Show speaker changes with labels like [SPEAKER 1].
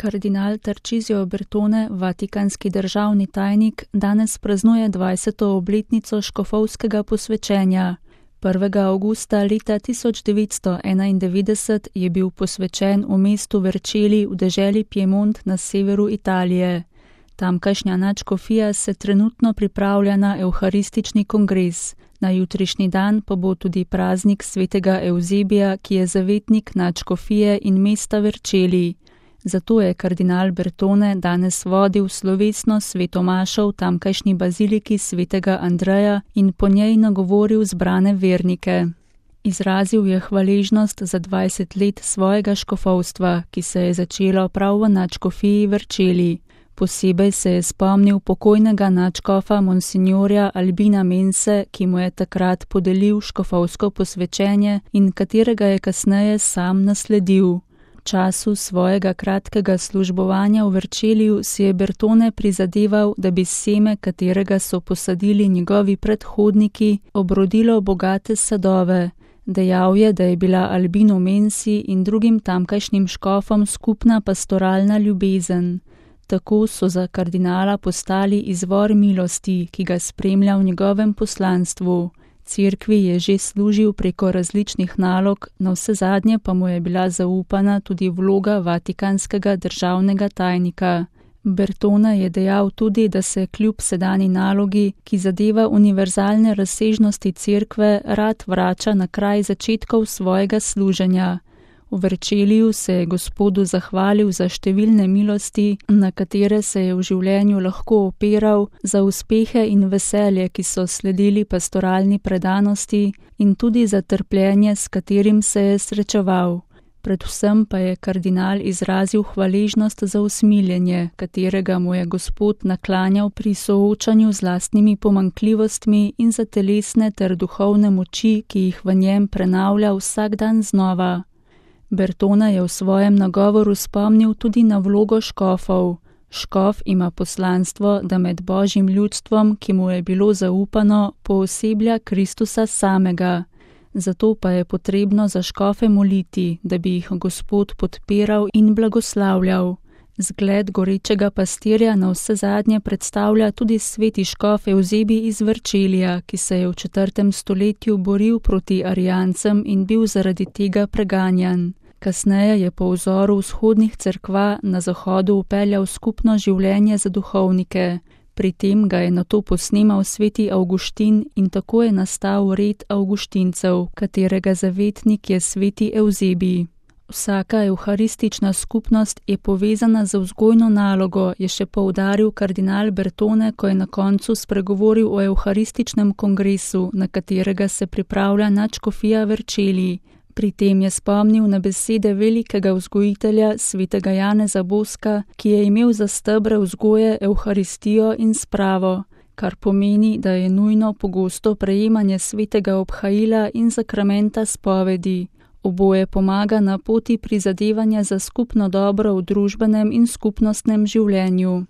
[SPEAKER 1] Kardinal Tarcisio Bertone, vatikanski državni tajnik, danes praznuje 20. obletnico škofovskega posvečenja. 1. avgusta leta 1991 je bil posvečen v mestu Vercelli v deželi Piemont na severu Italije. Tamkajšnja nadškofija se trenutno pripravlja na evharistični kongres. Na jutrišnji dan pa bo tudi praznik svetega Evzebija, ki je zavetnik nadškofije in mesta Vercelli. Zato je kardinal Bertone danes vodil slovesno sveto mašo v tamkajšnji baziliki svetega Andreja in po njej nagovoril zbrane vernike. Izrazil je hvaležnost za 20 let svojega škofovstva, ki se je začelo prav v nadškofiji Vercelli. Posebej se je spomnil pokojnega nadškofa monsignorja Albina Mense, ki mu je takrat podelil škofovsko posvečenje in katerega je kasneje sam nasledil. V času svojega kratkega službovanja v Vercelliju si je Bertone prizadeval, da bi seme, katerega so posadili njegovi predhodniki, obrodilo bogate sadove. Dejal je, da je bila Albinu Mensi in drugim tamkajšnjim škofom skupna pastoralna ljubezen. Tako so za kardinala postali izvor milosti, ki ga spremlja v njegovem poslanstvu. Cerkvi je že služil preko različnih nalog, navsezadnje pa mu je bila zaupana tudi vloga vatikanskega državnega tajnika. Bertone je dejal tudi, da se kljub sedanji nalogi, ki zadeva univerzalne razsežnosti cerkve, rad vrača na kraj začetkov svojega služenja. V Vercelliju se je Gospodu zahvalil za številne milosti, na katere se je v življenju lahko opiral, za uspehe in veselje, ki so sledili pastoralni predanosti, in tudi za trpljenje, s katerim se je srečeval. Predvsem pa je kardinal izrazil hvaležnost za usmiljenje, katerega mu je Gospod naklanjal pri soočanju z lastnimi pomanjkljivostmi in za telesne ter duhovne moči, ki jih v njem prenavlja vsak dan znova. Bertone je v svojem nagovoru spomnil tudi na vlogo škofov. Škof ima poslanstvo, da med Božjim ljudstvom, ki mu je bilo zaupano, pooseblja Kristusa samega. Zato pa je potrebno za škofe moliti, da bi jih Gospod podpiral in blagoslavljal. Zgled gorečega pastirja navsezadnje predstavlja tudi sveti škof Evzebij iz Vercellija, ki se je v 4. stoletju boril proti arijancem in bil zaradi tega preganjan. Kasneje je po vzoru vzhodnih cerkva na zahodu upeljal skupno življenje za duhovnike. Pri tem ga je nato posnemal sveti Avguštin in tako je nastal red Avguštincev, katerega zavetnik je sveti Evzebij. Vsaka evharistična skupnost je povezana z vzgojno nalogo, je še poudaril kardinal Bertone, ko je na koncu spregovoril o evharističnem kongresu, na katerega se pripravlja nadškofija Vercelli. Pri tem je spomnil na besede velikega vzgojitelja svetega Janeza Boska, ki je imel za stebre vzgoje evharistijo in spravo, kar pomeni, da je nujno pogosto prejemanje svetega obhajila in sakramenta spovedi. Oboje pomaga na poti prizadevanja za skupno dobro v družbenem in skupnostnem življenju.